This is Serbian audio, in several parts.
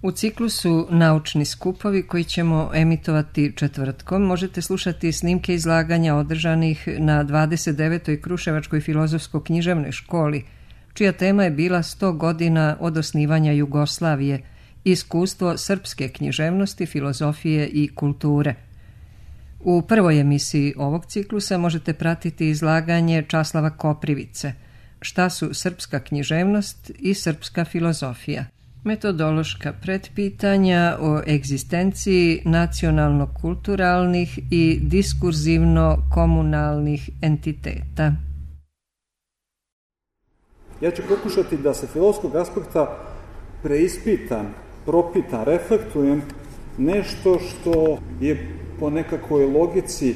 U ciklusu Naučni skupovi koji ćemo emitovati četvrtkom možete slušati snimke izlaganja održanih na 29. Kruševačkoj filozofsko-književnoj školi, čija tema je bila 100 godina od osnivanja Jugoslavije, iskustvo srpske književnosti, filozofije i kulture. U prvoj emisiji ovog ciklusa možete pratiti izlaganje Časlava Koprivice, Šta su srpska književnost i srpska filozofija. Metodološka pretpitanja o egzistenciji nacionalno-kulturalnih i diskurzivno-komunalnih entiteta. Ja ću pokušati da se filozofskog aspekta preispitam, propitam, reflektujem nešto što je po nekakvoj logici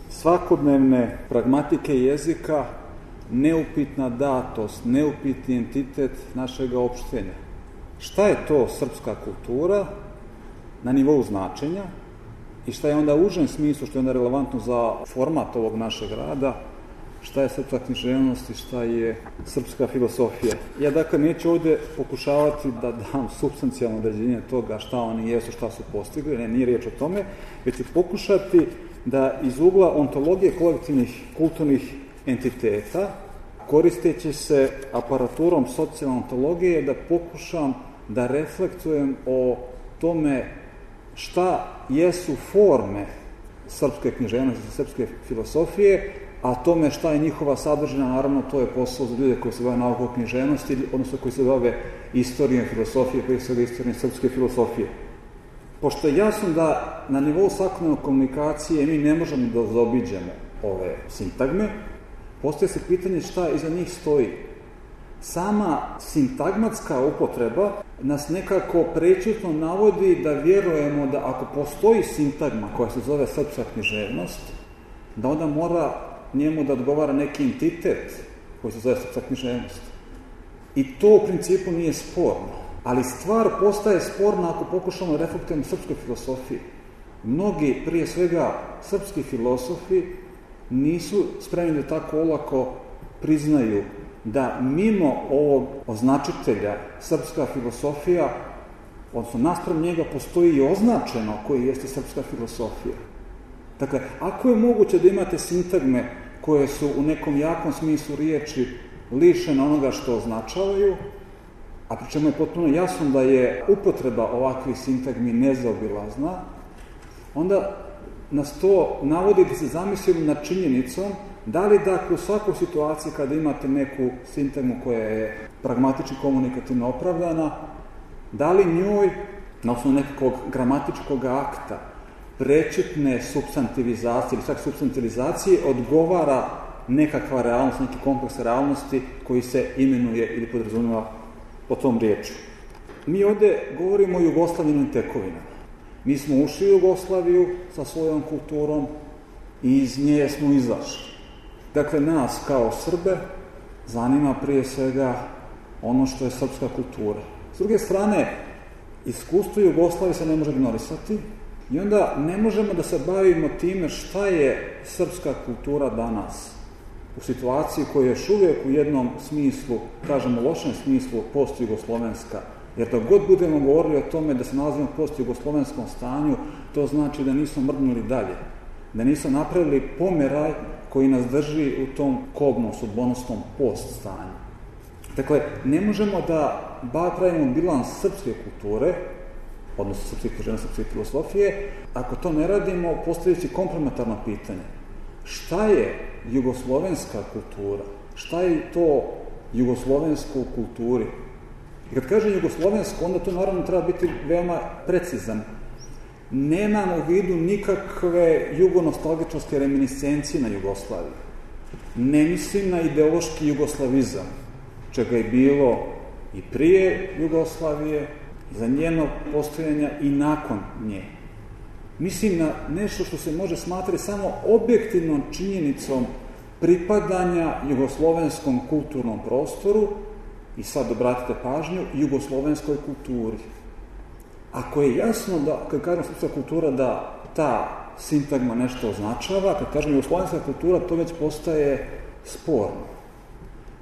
svakodnevne pragmatike jezika neupitna datost, neupitni entitet našeg opštenja. Šta je to srpska kultura na nivou značenja i šta je onda u užem smislu, što je onda relevantno za format ovog našeg rada, šta je srpska književnost i šta je srpska filozofija. Ja dakle neću ovdje pokušavati da dam supstancijalno određenje toga šta oni jesu, šta su postigli, ne, nije riječ o tome, već ću pokušati da iz ugla ontologije kolektivnih kulturnih entiteta, koristeći se aparaturom socijalne ontologije, da pokušam da reflektujem o tome šta jesu forme srpske književnosti, srpske filozofije, a tome šta je njihova sadržina, naravno to je posao za ljude koji se bave naukom književnosti, odnosno koji se bave istorijom filozofije, koji se bave istorijom srpske filozofije. Pošto je jasno da na nivou svakodnevne komunikacije mi ne možemo da zaobiđemo ove sintagme, postoje se pitanje šta iza njih stoji. Sama sintagmatska upotreba nas nekako prečutno navodi da vjerujemo da ako postoji sintagma koja se zove srpska književnost, da onda mora njemu da odgovara neki entitet koji se zove srpska književnost. I to u principu nije sporno. Ali stvar postaje sporna ako pokušamo reflektujemo srpskoj filozofiji. Mnogi, prije svega srpski filozofi, nisu spremni da tako olako priznaju da mimo ovog označitelja srpska filozofija, odnosno naspram njega postoji i označeno koji jeste srpska filozofija. Dakle, ako je moguće da imate sintagme koje su u nekom jakom smislu riječi lišene onoga što označavaju, a pri čemu je potpuno jasno da je upotreba ovakvih sintagmi nezaobilazna, onda nas to navodi da se zamislimo nad činjenicom da li dakle u svakoj situaciji kada imate neku sintagmu koja je pragmatično komunikativno opravdana, da li njoj na osnovu nekakvog gramatičkog akta prečutne supstantivizacije ili čak supstantilizacije odgovara nekakva realnost, neki kompleks realnosti koji se imenuje ili podrazumijeva po tom riječu. Mi ovdje govorimo o Jugoslavinim tekovinama. Mi smo ušli u Jugoslaviju sa svojom kulturom i iz nje smo izašli. Dakle, nas kao Srbe zanima prije svega ono što je srpska kultura. S druge strane, iskustvo Jugoslavije se ne može ignorisati i onda ne možemo da se bavimo time šta je srpska kultura danas u situaciji koja je još uvijek u jednom smislu, kažemo lošem smislu, post-jugoslovenska. Jer dok god budemo govorili o tome da se nalazimo u post-jugoslovenskom stanju, to znači da nismo mrdnuli dalje, da nismo napravili pomeraj koji nas drži u tom kobnom, sudbonosnom post-stanju. Dakle, ne možemo da pravimo bilans srpske kulture, odnosno srpske književnosti, srpske filozofije, ako to ne radimo, postavljajući komplementarno pitanje. Šta je jugoslovenska kultura? Šta je to jugoslovensko u kulturi? I kad kažem jugoslovensko, onda to naravno treba biti veoma precizan. Nemam u vidu nikakve jugonostalgičarske reminiscencije na Jugoslaviju. Ne mislim na ideološki jugoslavizam, čega je bilo i prije Jugoslavije, za njeno postojanja i nakon nje. Mislim na nešto što se može smatrati samo objektivnom činjenicom pripadanja jugoslovenskom kulturnom prostoru i sad obratite pažnju, jugoslovenskoj kulturi. Ako je jasno da, kad kažem srpska kultura, da ta sintagma nešto označava, kad kažem jugoslovenska kultura, to već postaje sporno.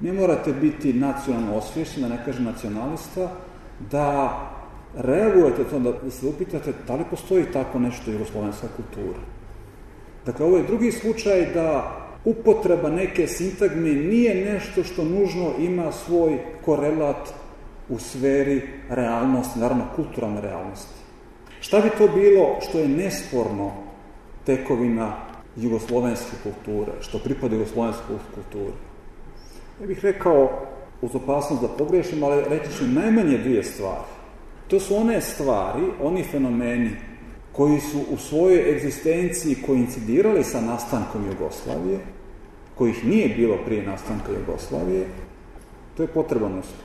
Ne morate biti nacionalno osvješćeni, da ne kažem nacionalista, da reagujete to, da se upitate da li postoji tako nešto jugoslovenska kultura. Dakle, ovo je drugi slučaj da upotreba neke sintagme nije nešto što nužno ima svoj korelat u sferi realnosti, naravno kulturalne realnosti. Šta bi to bilo što je nesporno tekovina jugoslovenske kulture, što pripada jugoslovenskoj kulturi? Ja bih rekao, uz opasnost da pogrešim, ali reći ću najmanje dvije stvari. To su one stvari, oni fenomeni koji su u svojoj egzistenciji koincidirali sa nastankom Jugoslavije, kojih nije bilo prije nastanka Jugoslavije, to je potreban uslov.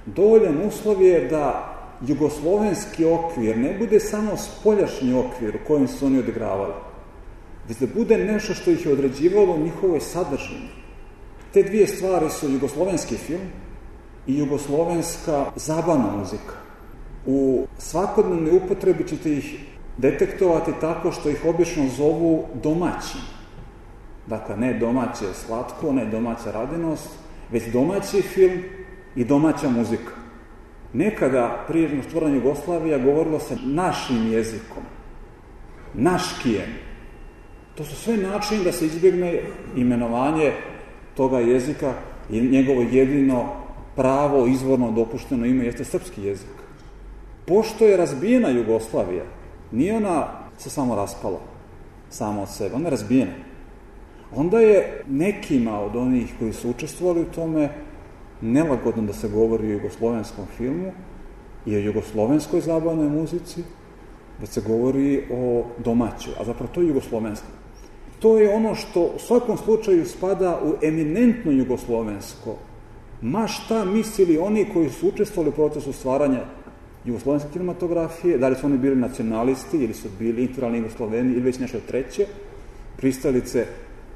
Dovoljan uslov je da jugoslovenski okvir ne bude samo spoljašnji okvir u kojem su oni odigravali, već da bude nešto što ih je određivalo u njihovoj sadržini. Te dvije stvari su jugoslovenski film i jugoslovenska zabavna muzika. U svakodnevnoj upotrebi ćete ih detektovati tako što ih obično zovu domaćim. Dakle, ne domaće slatko, ne domaća radinost, već domaći film i domaća muzika. Nekada, prije stvaranja Jugoslavija, govorilo se našim jezikom, naškijem. To su sve načini da se izbjegne imenovanje toga jezika i njegovo jedino pravo, izvorno dopušteno ime jeste srpski jezik. Pošto je razbijena Jugoslavija, nije ona se samo raspala, sama od sebe, ona je razbijena. Onda je nekima od onih koji su učestvovali u tome nelagodno da se govori o jugoslovenskom filmu i o jugoslovenskoj zabavnoj muzici, da se govori o domaćoj, a zapravo to je jugoslovensko. To je ono što u svakom slučaju spada u eminentno jugoslovensko. Ma šta mislili oni koji su učestvovali u procesu stvaranja jugoslovenske kinematografije, da li su oni bili nacionalisti ili su bili integralni Jugosloveni ili već nešto treće, pristalice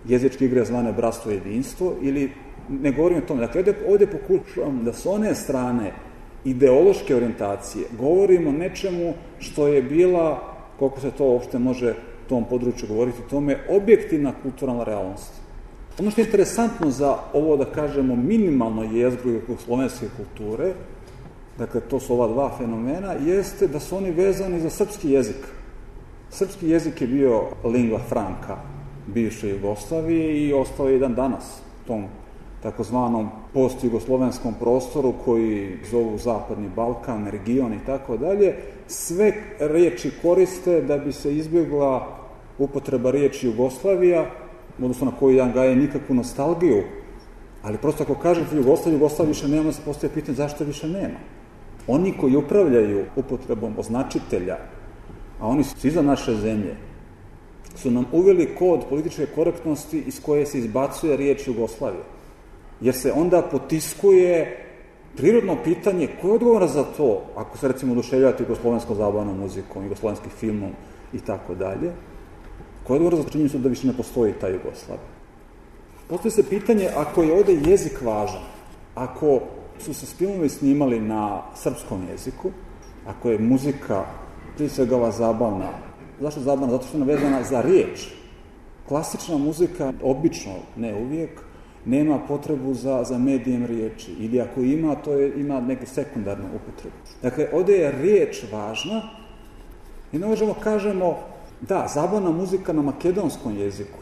jezičke igre zvane bratstvo i jedinstvo, ili ne govorim o tome. Dakle, ovdje pokušavam da s one strane ideološke orijentacije govorimo o nečemu što je bila, koliko se to uopšte može u tom području govoriti o tome, objektivna kulturalna realnost. Ono što je interesantno za ovo, da kažemo, minimalno jezgru jugoslovenske kulture, dakle, to su ova dva fenomena, jeste da su oni vezani za srpski jezik. Srpski jezik je bio lingua franca bivše Jugoslavije i ostao je dan danas u tom takozvanom post-jugoslovenskom prostoru koji zovu Zapadni Balkan, region i tako dalje. Sve riječi koriste da bi se izbjegla upotreba riječi Jugoslavija, odnosno na koju ja gaje nikakvu nostalgiju, ali prosto ako kažete Jugoslavija više nema, da se postoje pitanje zašto više nema. Oni koji upravljaju upotrebom označitelja, a oni su iza naše zemlje, su nam uveli kod političke korektnosti iz koje se izbacuje riječ Jugoslavija. Jer se onda potiskuje prirodno pitanje ko je odgovora za to, ako se recimo oduševljavate jugoslovenskom zabavnom muzikom, jugoslovenskim filmom i tako dalje, ko je odgovora za činjenicu da više ne postoji ta Jugoslavija. Postoji se pitanje ako je ovdje jezik važan, ako su se filmovi snimali na srpskom jeziku, ako je muzika prije svega ova zabavna. Zašto zabavna? Zato što je vezana za riječ. Klasična muzika, obično, ne uvijek, nema potrebu za medijem riječi. Ili ako ima, ima neku sekundarnu upotrebu. Dakle, ovdje je riječ važna i ne možemo kažemo da, zabavna muzika na makedonskom jeziku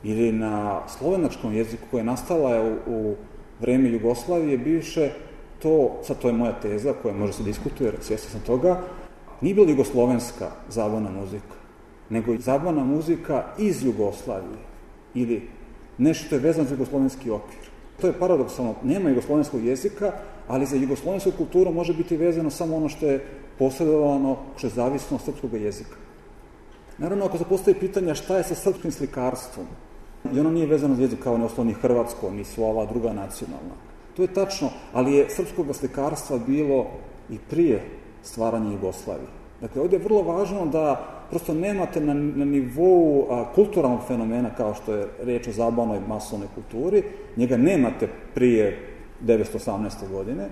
ili na slovenačkom jeziku koja je nastala u vreme Jugoslavije bivše, to je moja teza koja može se diskutuje, svjestan sam toga, nije bila jugoslovenska zabavna muzika, nego zabavna muzika iz Jugoslavije ili nešto što je vezano za jugoslovenski okvir. To je paradoksalno, nema jugoslovenskog jezika, ali za jugoslovensku kulturu može biti vezano samo ono što je posredovano, što je zavisno od srpskog jezika. Naravno, ako se postavi pitanja šta je sa srpskim slikarstvom, i ono nije vezano za jezik kao ne osnovni hrvatsko, ni sva ova druga nacionalna. To je tačno, ali je srpskog slikarstva bilo i prije stvaranja Jugoslavije. Dakle, ovdje je vrlo važno da prosto nemate na nivou kulturalnog fenomena, kao što je riječ o zabavnoj masovnoj kulturi, njega nemate prije 1918. godine,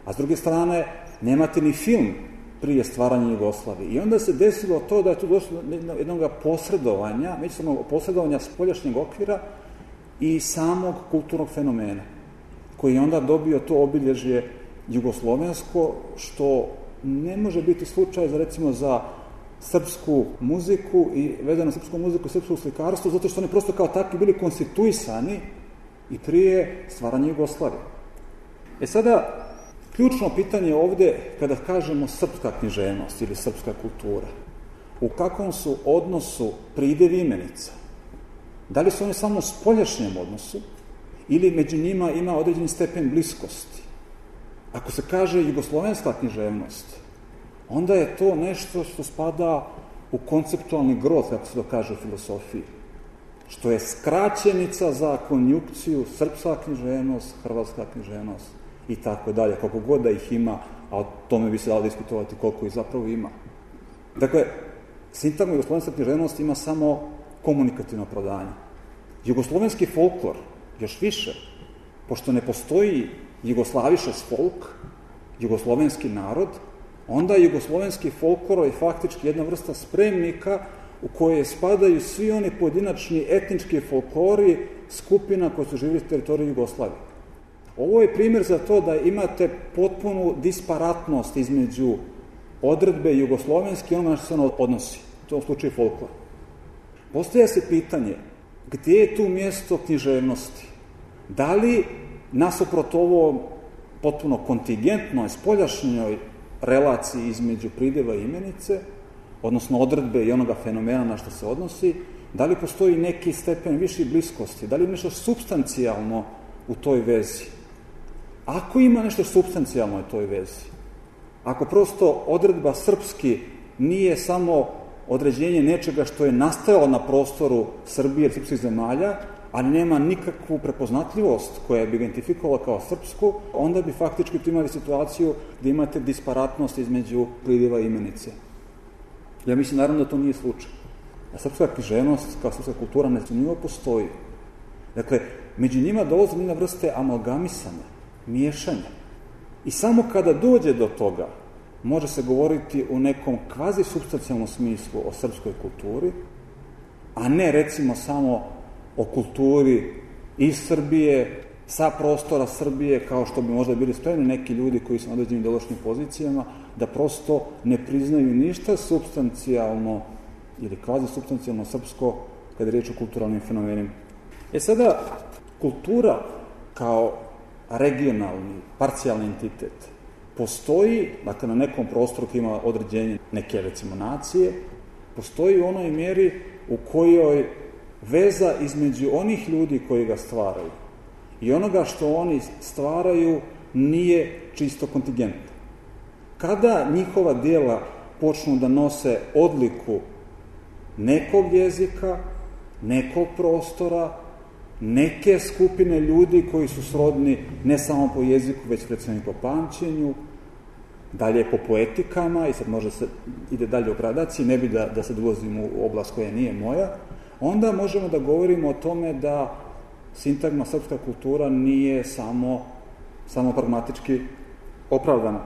a s druge strane nemate ni film prije stvaranja Jugoslavije. I onda se desilo to da je tu došlo do jednog posredovanja, međusobnog posredovanja spoljašnjeg okvira i samog kulturnog fenomena, koji je onda dobio to obilježje jugoslovensko, što ne može biti slučaj recimo za srpsku muziku i vezano na srpsku muziku i srpsko slikarstvo, zato što oni prosto kao takvi bili konstituisani i prije stvaranja Jugoslavije. Sada, ključno pitanje ovde, kada kažemo srpska književnost ili srpska kultura, u kakvom su odnosu pridev imenica? Da li su oni samo u spoljašnjem odnosu ili među njima ima određeni stepen bliskosti? Ako se kaže jugoslovenska književnost, onda je to nešto što spada u konceptualni grot, kako se to kaže u filosofiji, što je skraćenica za konjukciju srpska književnost, hrvatska književnost i tako dalje, kako god da ih ima, a o tome bi se dalo diskutovati koliko ih zapravo ima. Dakle, sintagma jugoslovenska književnost ima samo komunikativno opravdanje. Jugoslovenski folklor, još više, pošto ne postoji jugoslavišes folk, jugoslovenski narod, onda jugoslovenski folklor je faktički jedna vrsta spremnika u koje spadaju svi oni pojedinačni etnički folklori skupina koje su živjeli na teritoriji Jugoslavije. Ovo je primjer za to da imate potpunu disparatnost između odredbe jugoslovenske i onoga što se ono odnosi, u tom slučaju folklor. Postavlja se pitanje, gdje je tu mjesto književnosti? Da li nasuprot ovo potpuno kontingentnoj, spoljašnjoj relaciji između prideva i imenice, odnosno odredbe i onoga fenomena na što se odnosi, da li postoji neki stepen viši bliskosti, da li je nešto supstancijalno u toj vezi? Ako ima nešto supstancijalno u toj vezi, ako prosto odredba srpski nije samo određenje nečega što je nastajalo na prostoru Srbije ili srpskih zemalja, ali nema nikakvu prepoznatljivost koja bi identifikovala kao srpsku, onda bi faktički tu imali situaciju gdje imate disparatnost između prideva i imenice. Ja mislim naravno da to nije slučaj. A srpska književnost kao srpska kultura nesumnjivo postoji. Dakle, među njima dolazi jedna vrste amalgamisanja, miješanja. I samo kada dođe do toga, može se govoriti u nekom kvazi supstancijalnom smislu o srpskoj kulturi, a ne recimo samo o kulturi iz Srbije, sa prostora Srbije, kao što bi možda bili spremni neki ljudi koji su na određenim ideološkim pozicijama, da prosto ne priznaju ništa supstancijalno ili kvazi supstancijalno srpsko kada je riječ o kulturalnim fenomenima. Sada, kultura kao regionalni, parcijalni entitet postoji, dakle na nekom prostoru koji ima određenje neke recimo nacije, postoji u onoj mjeri u kojoj veza između onih ljudi koji ga stvaraju i onoga što oni stvaraju nije čisto kontingentna. Kada njihova djela počnu da nose odliku nekog jezika, nekog prostora, neke skupine ljudi koji su srodni ne samo po jeziku, već recimo i po pamćenju, dalje po poetikama, i sad može se ide dalje u gradaciji, ne bi da se ulazim u oblast koja nije moja, onda možemo da govorimo o tome da sintagma srpska kultura nije samo pragmatički opravdana.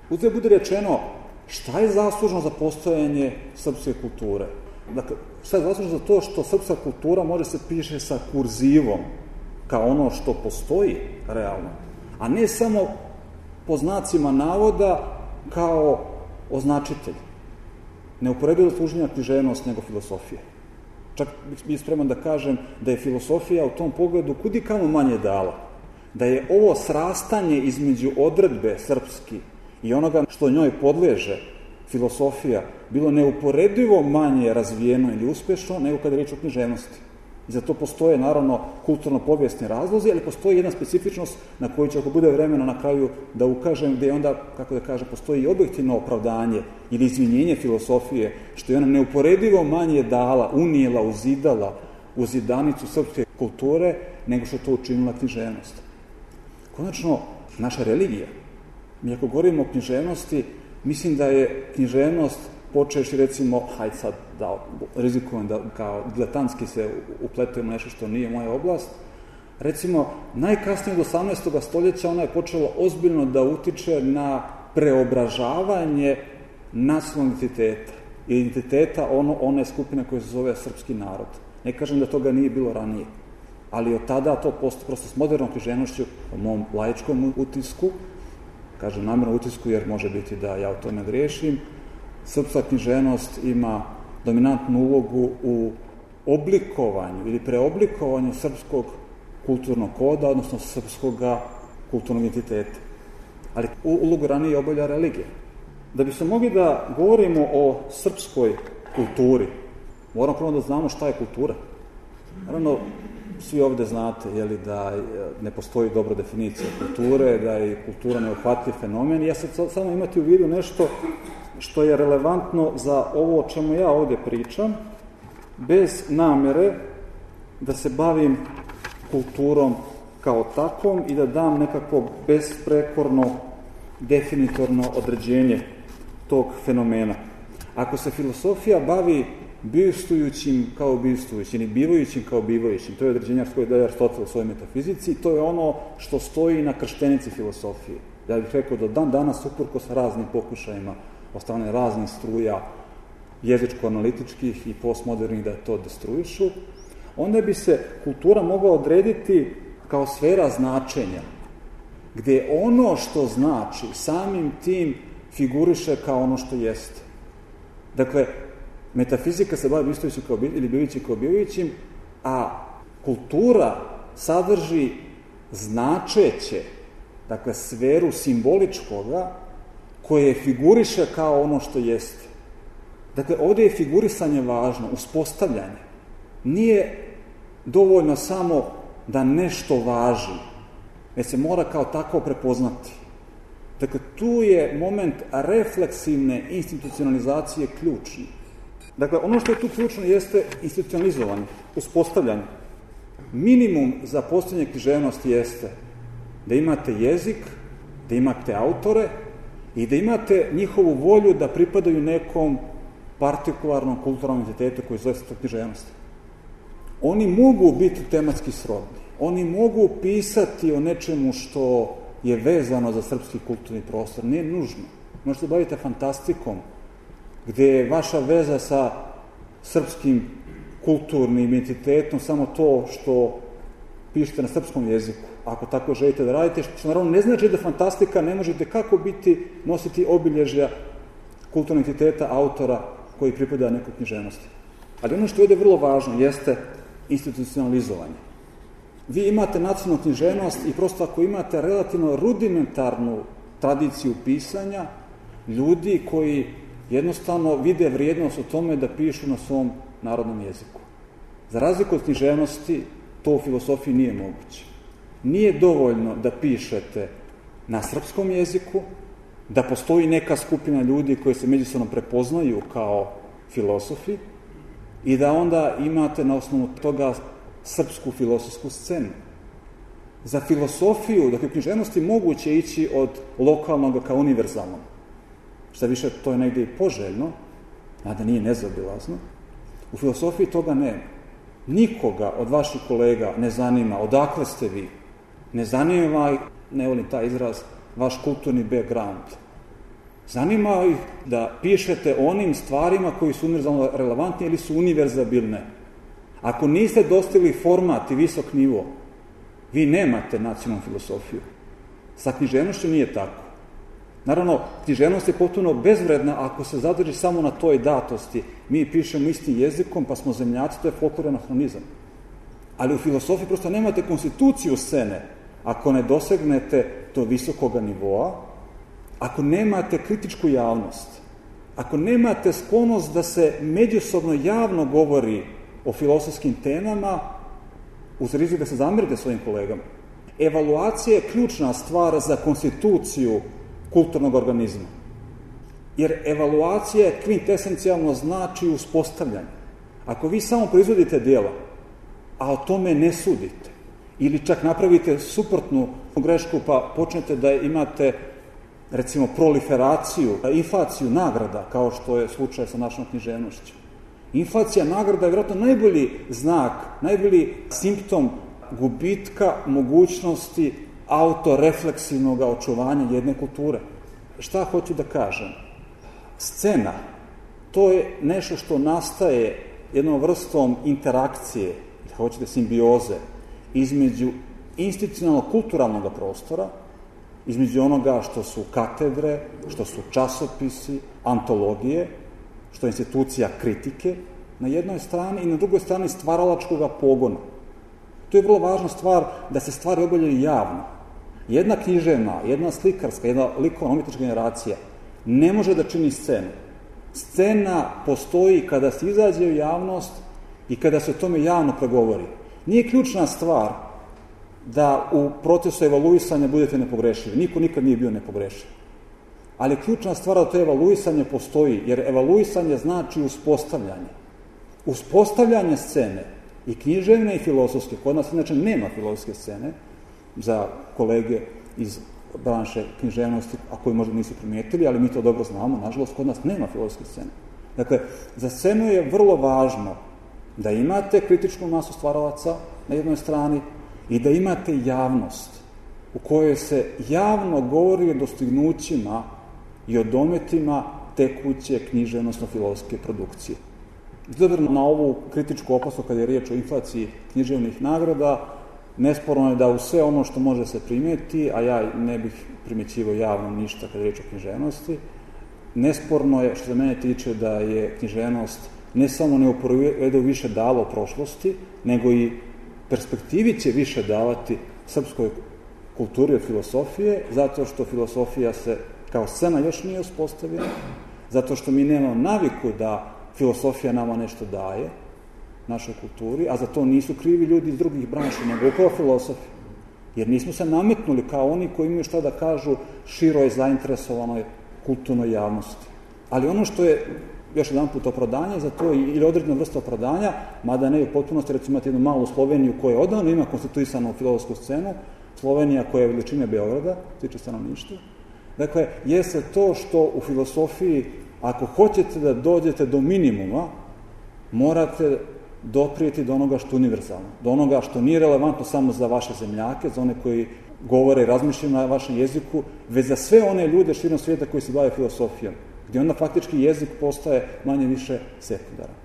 Uzgled bude rečeno, šta je zaslužno za postojanje srpske kulture? Dakle, šta je zaslužno za to što srpska kultura može se piše sa kurzivom, kao ono što postoji realno, a ne samo po znacima navoda kao označitelj. Neuporedivo služenja književnost nego filosofije. Čak bih spreman da kažem da je filosofija u tom pogledu kudikamo manje dala. Da je ovo srastanje između odredbe srpski i onoga što njoj podleže filosofija bilo neuporedivo manje razvijeno ili uspešno nego kada je riječ o književnosti. I za to postoje, naravno, kulturno-povijesni razlozi, ali postoji jedna specifičnost na koju će, ako bude vremena na kraju, da ukažem, gde onda, kako da kažem, postoji i objektivno opravdanje ili izvinjenje filosofije, što je ona neuporedivo manje dala, unijela, uzidala u zidanicu srpske kulture, nego što to učinila književnost. Konačno, naša religija. Mi ako govorimo o književnosti, mislim da je književnost počeši recimo, hajde sad da rizikujem da kao diletantski se upletujemo nešto što nije moja oblast, recimo najkasnije od 18. stoljeća ona je počela ozbiljno da utiče na preobražavanje nacionalnog identiteta, identiteta one skupine koje se zove srpski narod. Ne kažem da toga nije bilo ranije, ali od tada to prosto s modernom književnošću, u mom laičkom utisku, kažem namjerno utisku jer može biti da ja o tome griješim, srpska književnost ima dominantnu ulogu u oblikovanju ili preoblikovanju srpskog kulturnog koda, odnosno srpskog kulturnog identiteta. Ali ulogu ranije obavlja religija. Da bi se mogli da govorimo o srpskoj kulturi, moramo prvo da znamo šta je kultura. Naravno, svi ovde znate da ne postoji dobra definicija kulture, da je kultura neuhvatljiv fenomen. Ja sad samo imati u vidu nešto što je relevantno za ovo o čemu ja ovde pričam, bez namere da se bavim kulturom kao takvom i da dam nekako besprekorno, definitorno određenje tog fenomena. Ako se filosofija bavi bivstvujućim kao bivstvujućim ili bivajućim kao bivajućim, to je određenje koje daje Aristotel u svojoj metafizici, to je ono što stoji na krštenici filosofije. Ja bih rekao da dan danas, uprkos raznim pokušajima od strane raznih struja jezičko-analitičkih i postmodernih da to destruišu, onda bi se kultura mogla odrediti kao sfera značenja, gde ono što znači samim tim figuriše kao ono što jeste. Dakle, metafizika se bavi bivstvujućim ili bivajućim kao bivajućim, a kultura sadrži značeće, dakle, sferu simboličkoga koje figuriše kao ono što jeste. Dakle, ovde je figurisanje važno, uspostavljanje. Nije dovoljno samo da nešto važi, već se mora kao tako prepoznati. Dakle, tu je moment refleksivne institucionalizacije ključni. Dakle, ono što je tu ključno jeste institucionalizovanje, uspostavljanje. Minimum za postojanje književnosti jeste da imate jezik, da imate autore i da imate njihovu volju da pripadaju nekom partikularnom kulturnom identitetu koji zove srpska književnost. Oni mogu biti tematski srodni, oni mogu pisati o nečemu što je vezano za srpski kulturni prostor, nije nužno. Možete se baviti fantastikom, gde je vaša veza sa srpskim kulturnim identitetom samo to što pišete na srpskom jeziku, ako tako želite da radite, što naravno ne znači da fantastika ne možete kako nositi obilježja kulturnog identiteta autora koji pripada nekoj književnosti. Ali ono što je ovde vrlo važno jeste institucionalizovanje. Vi imate nacionalnu književnost i prosto ako imate relativno rudimentarnu tradiciju pisanja, ljudi koji jednostavno vide vrijednost u tome da pišu na svom narodnom jeziku. Za razliku od književnosti, to u filosofiji nije moguće. Nije dovoljno da pišete na srpskom jeziku, da postoji neka skupina ljudi koji se međusobno prepoznaju kao filosofi i da onda imate na osnovu toga srpsku filosofsku scenu. Za filosofiju, dakle u književnosti moguće ići od lokalnog ka univerzalnog. Šta više, to je negde i poželjno, a da nije nezaobilazno. U filosofiji toga nema. Nikoga od vaših kolega ne zanima odakle ste vi. Ne zanima, ne volim taj izraz, vaš kulturni background. Zanima ih da pišete o onim stvarima koji su univerzalno relevantni ili su univerzabilne. Ako niste dostigli format i visok nivo, vi nemate nacionalnu filosofiju. Sa književnošću nije tako. Naravno, književnost je potpuno bezvredna ako se zadrži samo na toj datosti. Mi pišemo istim jezikom, pa smo zemljaci, to je folklor anahronizam. Ali u filosofiji prosto nemate konstituciju scene ako ne dosegnete do visokoga nivoa, ako nemate kritičku javnost, ako nemate sklonost da se međusobno javno govori o filosofskim temama, uz rizik da se zamerite svojim kolegama. Evaluacija je ključna stvar za konstituciju kulturnog organizma. Jer evaluacija kvintesencijalno znači uspostavljanje. Ako vi samo proizvodite djela, a o tome ne sudite, ili čak napravite suprotnu grešku pa počnete da imate, recimo, proliferaciju, inflaciju nagrada, kao što je slučaj sa našom književnošću. Inflacija nagrada je vjerojatno najbolji znak, najbolji simptom gubitka mogućnosti autorefleksivnog očuvanja jedne kulture. Šta hoću da kažem? Scena, to je nešto što nastaje jednom vrstom interakcije, hoćete simbioze, između institucionalnog kulturalnog prostora između onoga što su katedre, što su časopisi, antologije, što je institucija kritike na jednoj strani i na drugoj strani stvaralačkog pogona. To je vrlo važna stvar da se stvari obavljaju javno. Jedna književna, jedna slikarska, jedna likovno-umjetnička generacija ne može da čini scenu. Scena postoji kada se izađe u javnost i kada se o tome javno pregovori. Nije ključna stvar da u procesu evaluisanja budete nepogrešivi. Niko nikad nije bio nepogrešiv. Ali ključna stvar da to evaluisanje postoji, jer evaluisanje znači uspostavljanje. Uspostavljanje scene i književne i filozofske. Kod nas inače nema filozofske scene za kolege iz branše književnosti, a koji možda nisu primijetili, ali mi to dobro znamo, nažalost, kod nas nema filozofske scene. Dakle, za scenu je vrlo važno da imate kritičku masu stvaralaca na jednoj strani i da imate javnost u kojoj se javno govori o dostignućima i o dometima tekuće književnosno-filozofske produkcije. Izgledano na ovu kritičku opasku kada je riječ o inflaciji književnih nagrada, nesporno je da u sve ono što može se primijeti, a ja ne bih primjećivao javno ništa kada je riječ o književnosti, nesporno je što se mene tiče da je književnost ne samo neuporedivo više dala u prošlosti, nego i perspektivi će više davati srpskoj kulturi od filosofije, zato što filosofija se kao scena još nije uspostavila, zato što mi nemamo naviku da filosofija nama nešto daje, našoj kulturi, a za to nisu krivi ljudi iz drugih branša, nego upravo filosofi. Jer nismo se nametnuli kao oni koji imaju šta da kažu široj zainteresovanoj kulturnoj javnosti. Ali ono što je još jedan put opravdanje za to ili određena vrsta opravdanja, mada ne u potpunosti, recimo imate jednu malu Sloveniju koja odavno ima konstituisanu filozofsku scenu, Slovenija koja je veličine Beograda, tiče stanovništva. Dakle, jeste to što u filosofiji, ako hoćete da dođete do minimuma, morate doprijeti do onoga što je univerzalno, do onoga što nije relevantno samo za vaše zemljake, za one koji govore i razmišljaju na vašem jeziku, već za sve one ljude širom svijeta koji se bave filosofijom, gdje onda faktički jezik postaje manje više sekundaran.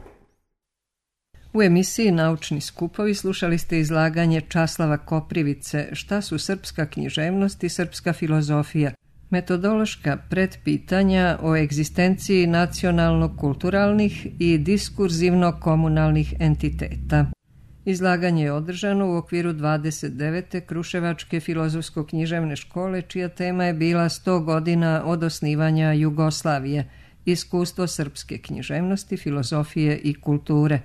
U emisiji Naučni skupovi slušali ste izlaganje Časlava Koprivice Šta su srpska književnost i srpska filozofija? Metodološka predpitanja o egzistenciji nacionalno-kulturalnih i diskurzivno-komunalnih entiteta. Izlaganje je održano u okviru 29. Kruševačke filozofsko-književne škole, čija tema je bila 100 godina od osnivanja Jugoslavije, iskustvo srpske književnosti, filozofije i kulture.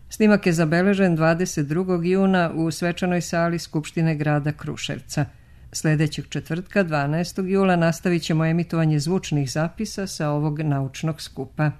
Snimak je zabeležen 22. juna u svečanoj sali Skupštine grada Kruševca. Sljedećeg četvrtka, 12. jula, nastavit ćemo emitovanje zvučnih zapisa sa ovog naučnog skupa.